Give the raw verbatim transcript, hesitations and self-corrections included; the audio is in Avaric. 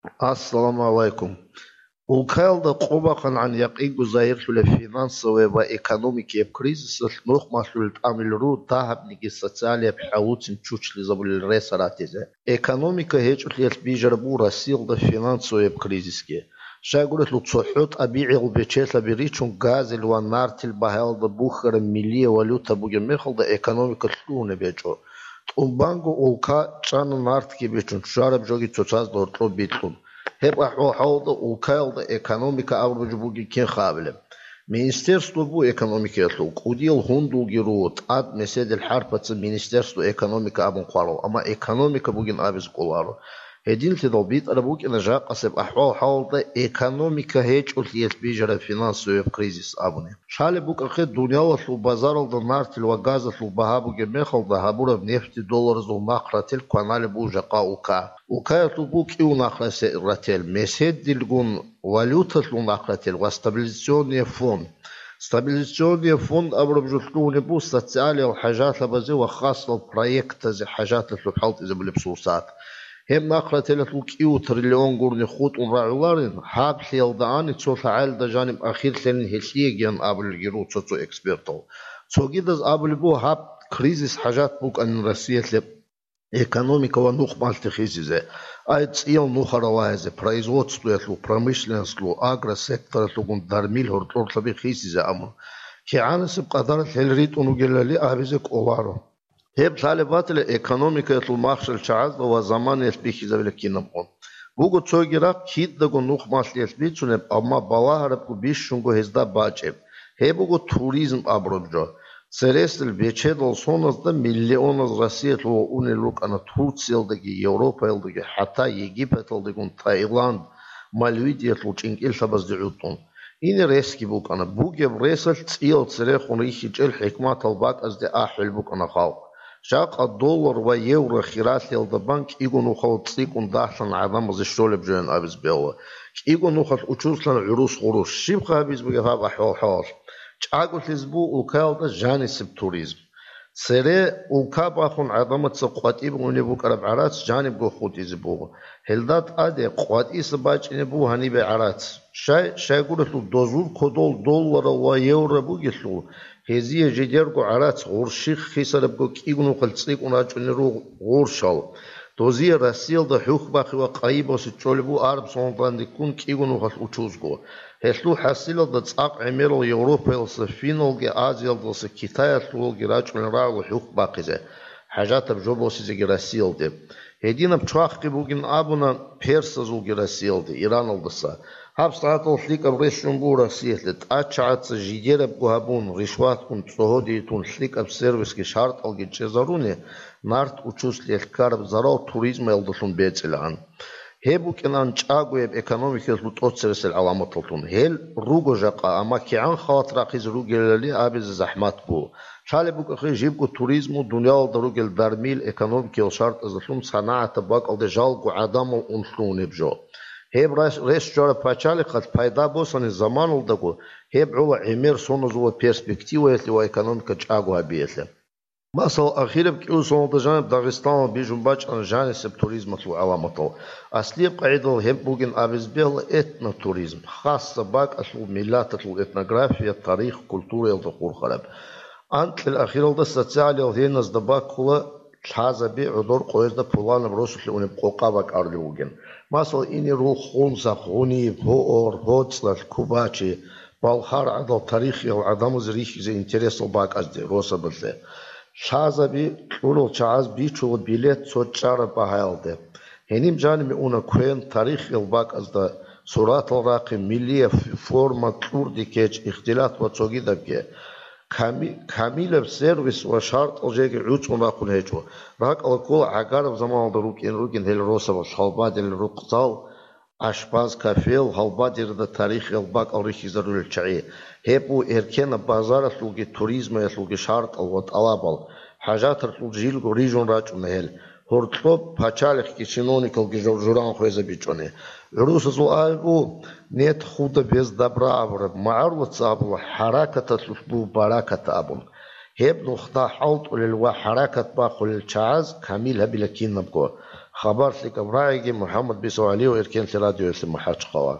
Ассаламу гӀалайкум. Улкаялда къо бахъангӀан якъинго загьирлъулеб финансовый ва экономикияб кризисалъ нухмалъулел тӀамил ру дагьабниги социалияб хӀалуцин чучлъизабулел рес ратизе. Экономика гьечӀолъиялъ бижараб буго Россиялда финансовияб кризисги. Щайгурелъул цохӀо тӀабигӀиял бечелъаби ричун газил ва нартил багьаялда бухьараб миллияб валюта бугеб мехалда экономика лъугьунеб гьечӀо. ТӀубанго улка чӀана нартги бичун, чӀараб жоги цоцазда гьоркьоб бикьун. Гьеб ахӀвал-хӀалалда улкаялда экономика абураб жо бугеб кинха абилеб? Министерство буго экономикаялъул, кӀудиял гьундулги руго, тӀад меседил хӀарпаца Министерство экономика абун хъварал, амма экономика бугин абизе кӀоларо. Гьединлъидал битӀараб букӀина жакъасеб ахӀвал-хӀалалда экономика гьечӀолъиялъ бижараб финансовияб кризис абуни. Лъалеб букӀахъе, дуниялалъул базаралда нартил ва газалъул багьа бугеб мехалда гьабураб нефти долларазул нахърател кваналеб буго жакъа улка. Улкаялъул буго кӀиго нахърател, меседилгун валюталъул нахърател ва стабилизационный фонд. Стабилизационный фонд абураб жо лъугьунеб буго социалиял хӀажалъабазе ва хасал проектазе хӀажаталъул хӀалтӀизабулеб сурсат. Гьеб нахърателалъул кӀиго триллион гурони хутӀун рагӀуларин, гьаблъиялда ани цо лъагӀалда жаниб ахирлъанин гьелъиегиян абулелги руго цо-цо экспертал. Цогидаз абулеб буго гьаб кризис хӀажат букӀанин Россиялъе экономика ва нухмалъи хисизе, ай цӀиял нухара лагьизе, производствоялъул, промышленностьлъул, агросекторалъулгун дармил гьоркьорлъаби хисизе абун. КигӀанасеб къадаралъ гьел ритӀун ругелали абизе кӀоларо. Гьеб лъалеб батила экономикаялъул махщел чагӀазда ва заманаялъ бихьизабила кинабго. Буго цоги рахъ кидаго нухмалъиялъ бицунеб, амма балагьарабго бищунго гьезда бачӀеб. Гьеб буго туризм абураб жо. Цересел бечедал соназда миллионаз Россиялъув унел рукӀана Турциялдаги, Европаялдаги, хӀатта Египеталдагун Таиланд, Мальвидиялъул чӀинкӀиллъабазде гӀутӀун. Ине ресги букӀана. Бугеб ресалъ цӀиял церехун рихьичӀел хӀикматал бакӀазде ахӀулеб букӀана халкъ. Жакъа доллар ва евро хиралъиялда бан кӀиго нухал цӀикӀкӀун дагьлъан гӀадамазе щолеб жоян абизе бегьула. КӀиго нухалъ учузлъан гӀурус гъурус. Щибха гьабизе бугеб гьаб ахӀвал-хӀалалъ? ЧӀаголъизе буго улкаялда жанисеб туризм. Цере улка бахун гӀадамаца къватӀиб унеб букӀараб гӀарац жанибго хутӀизе буго. Гьелда тӀаде къватӀиса бачӀине буго гьанибе гӀарац. Щай, щайгурелъул дозул кодол долларал ва евро бугелъул, гьезие жидерго гӀарац гъурщихъ хисарабго кӀиго нухалъ цӀикӀкӀун рачӀунел руго гъурщал. Дозие Россиялда хӀухь бахъи ва къайи босе чӀолеб буго араб соналдандеккун кӀиго нухалъ учузго. Гьелъул хӀасилалда цӀакъ гӀемерал Европаялдаса, Финалги, Азиялдаса, Китаялъулалги рачӀунел рагӀула хӀухь бахъизе, хӀажатаб жо босизеги Россиялде. Гьединаб чвахги бугин абуна персазулги Россиялде, Ираналдаса. Гьаб сагӀатал лъикӀаб рес щун буго Россиялъе, тӀачагӀаца жидерабго гьабун, ришватгун, цӀогьодие тун, лъикӀаб сервисги шартӀалги чӀезаруни, нарт учузлъиялъ ккараб зарал туризмаялдалъун бецӀилаан. Гьеб букӀинаан чӀагояб экономикаялъул тӀоцересел гӀаламаталлъун. Гьел руго жакъа, амма кигӀан халат рахъизе ругелали абизе захӀмат буго. Лъалеб букӀахъе, жибго туризму дуниялалда ругел дармил экономикиял шартӀаздалъун санагӀатаб бакӀалде жалго гӀадамал ун лъугьунеб жо. Гьеб рес-, рес чӀвараб пачалихъалъ пайда босани заманалдаго, гьеб гӀола гӀемер соназул перспективаялъе ва экономика чӀаго гьабиялъе. Масала, ахираб кӀиго соналда жаниб Дагъистаналда бижун бачӀана жанисеб туризмалъул гӀаламатал. Аслияб къагӀидал гьеб бугин абизе бегьула этнотуризм, хасса бакӀалъул миллаталъул этнография, тарих, культураялда хурхараб. Анкьил ахиралда социалиял гьеназда баккула лъазаби гӀодор къоязда пуланаб росулъе унеб къокъа бакӀарулев вугин. Масала, ине рухъ, гъунзахъ, гъуниб, гьуор, гьоцӀалъ, кубачи, балхар гӀадал тарихиял гӀадамазе рихьизе интересал бакӀазде, росабалъе. Лъазаби кьурал чагӀаз бичула билет цо чӀараб багьаялде. Гьениб жанибе уна квен, тарихиял бакӀазда суратал рахъи, миллияб ф-, форма, кьурди ккечӀ, ихтилат ва цогидабги. Ками-, камилаб сервис ва шартӀал жеги гӀуцӀун рахъун гьечӀо. РакӀалда ккола гӀагараб заманалда рукӀин ругин гьел росабаз лъалбадерил рукъзал, ашпаз, кафел, гьалбадерда тарихиял бакӀал рихьизарулел чагӀи. Гьеб буго эркенаб базаралъулги туризмаялъулги шартӀал ва тӀалабал, хӀажаталъул жилго рижун рачӀуна гьел. Гьоркьоб пачалихъги чиновникалги жур-, журан хвезабичӀони. ГӀурусазул абу: «Нет худа без добра», — абураб, магӀарулаца абула: «ХӀаракаталъулъ буго баракат», — абун. Гьеб нухда хӀалтӀулел ва хӀаракат бахъулел чагӀаз камил гьабила кинабго. Хабар лъикӀаб рагӀиги, МухӀаммад бицав гӀалив, Эркенлъи радиоялъе МахӀачхъала.